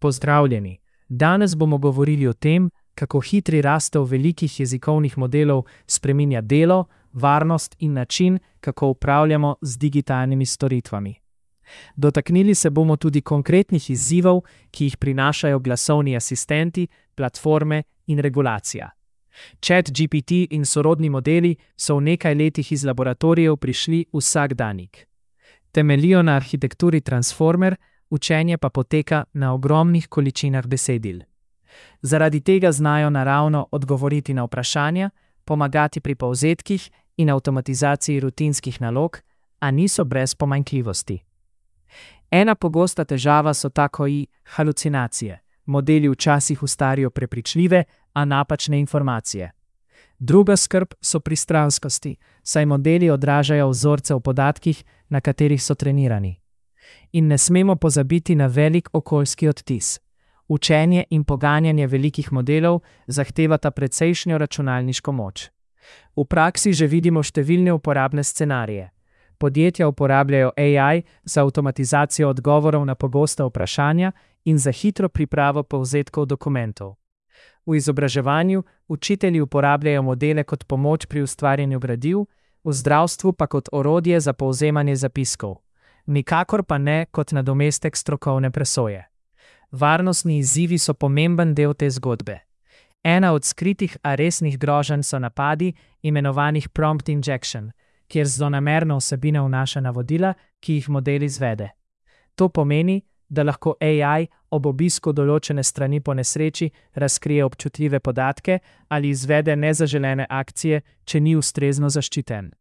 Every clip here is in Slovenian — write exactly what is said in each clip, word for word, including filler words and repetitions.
Pozdravljeni! Danes bomo govorili o tem, kako hitri rastev velikih jezikovnih modelov spreminja delo, varnost in način, kako upravljamo z digitalnimi storitvami. Dotaknili se bomo tudi konkretnih izzivov, ki jih prinašajo glasovni asistenti, platforme in regulacija. ChatGPT in sorodni modeli so v nekaj letih iz laboratorijev prišli vsakdanjik. Temeljijo na arhitekturi Transformer, učenje pa poteka na ogromnih količinah besedil. Zaradi tega znajo naravno odgovoriti na vprašanja, pomagati pri povzetkih in avtomatizaciji rutinskih nalog, a niso brez pomanjkljivosti. Ena pogosta težava so takoji halucinacije. Modeli včasih ustvarjajo prepričljive, a napačne informacije. Druga skrb so pristranskosti, saj modeli odražajo vzorce v podatkih, na katerih so trenirani. In ne smemo pozabiti na velik okoljski odtis. Učenje in poganjanje velikih modelov zahtevata precejšnjo računalniško moč. V praksi že vidimo številne uporabne scenarije. Podjetja uporabljajo A I za avtomatizacijo odgovorov na pogosta vprašanja in za hitro pripravo povzetkov dokumentov. V izobraževanju učitelji uporabljajo modele kot pomoč pri ustvarjanju gradiv, v zdravstvu pa kot orodje za povzemanje zapiskov. Nikakor pa ne kot nadomestek strokovne presoje. Varnostni izzivi so pomemben del te zgodbe. Ena od skritih, a resnih groženj so napadi, imenovanih prompt injection, kjer zlonamerna vsebina vnaša navodila, ki jih model izvede. To pomeni, da lahko A I ob obisku določene strani po nesreči razkrije občutljive podatke ali izvede nezaželene akcije, če ni ustrezno zaščiten.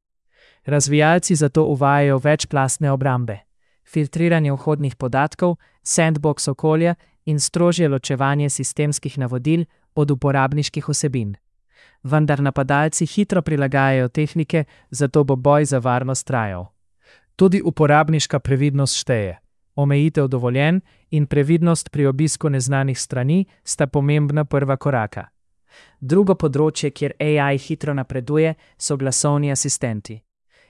Razvijalci zato uvajajo večplastne obrambe, filtriranje vhodnih podatkov, sandbox okolja in strožje ločevanje sistemskih navodil od uporabniških vsebin. Vendar napadalci hitro prilagajajo tehnike, zato bo boj za varnost trajal. Tudi uporabniška previdnost šteje. Omejitev dovoljenj in previdnost pri obisku neznanih strani sta pomembna prva koraka. Drugo področje, kjer A I hitro napreduje, so glasovni asistenti.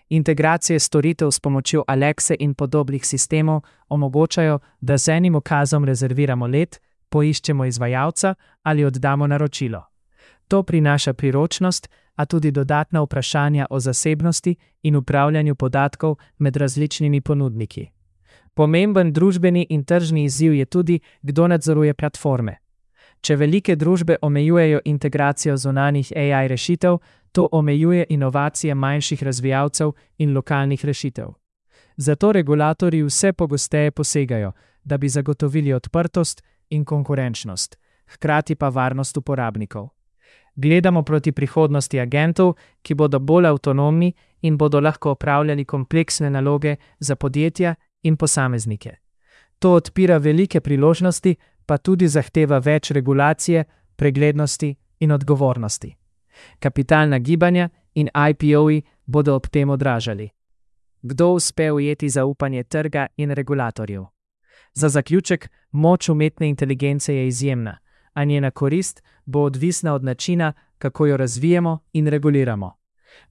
Integracije storitev s pomočjo Alexe in podobnih sistemov omogočajo, da z enim ukazom rezerviramo let, poiščemo izvajalca ali oddamo naročilo. To prinaša priročnost, a tudi dodatna vprašanja o zasebnosti in upravljanju podatkov med različnimi ponudniki. Pomemben družbeni in tržni izziv je tudi, kdo nadzoruje platforme. Če velike družbe omejujejo integracijo zunanjih A I rešitev, to omejuje inovacije manjših razvijalcev in lokalnih rešitev. Zato regulatorji vse pogosteje posegajo, da bi zagotovili odprtost in konkurenčnost, hkrati pa varnost uporabnikov. Gledamo proti prihodnosti agentov, ki bodo bolj avtonomni in bodo lahko opravljali kompleksne naloge za podjetja in posameznike. To odpira velike priložnosti, pa tudi zahteva več regulacije, preglednosti in odgovornosti. Kapitalna gibanja in I P O-ji bodo ob tem odražali. Kdo uspe ujeti zaupanje trga in regulatorjev? Za zaključek, moč umetne inteligence je izjemna, a njena korist bo odvisna od načina, kako jo razvijemo in reguliramo.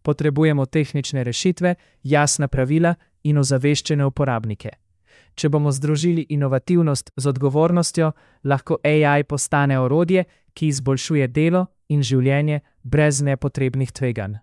Potrebujemo tehnične rešitve, jasna pravila in ozaveščene uporabnike. Če bomo združili inovativnost z odgovornostjo, lahko A I postane orodje, ki izboljšuje delo in življenje brez nepotrebnih tveganj.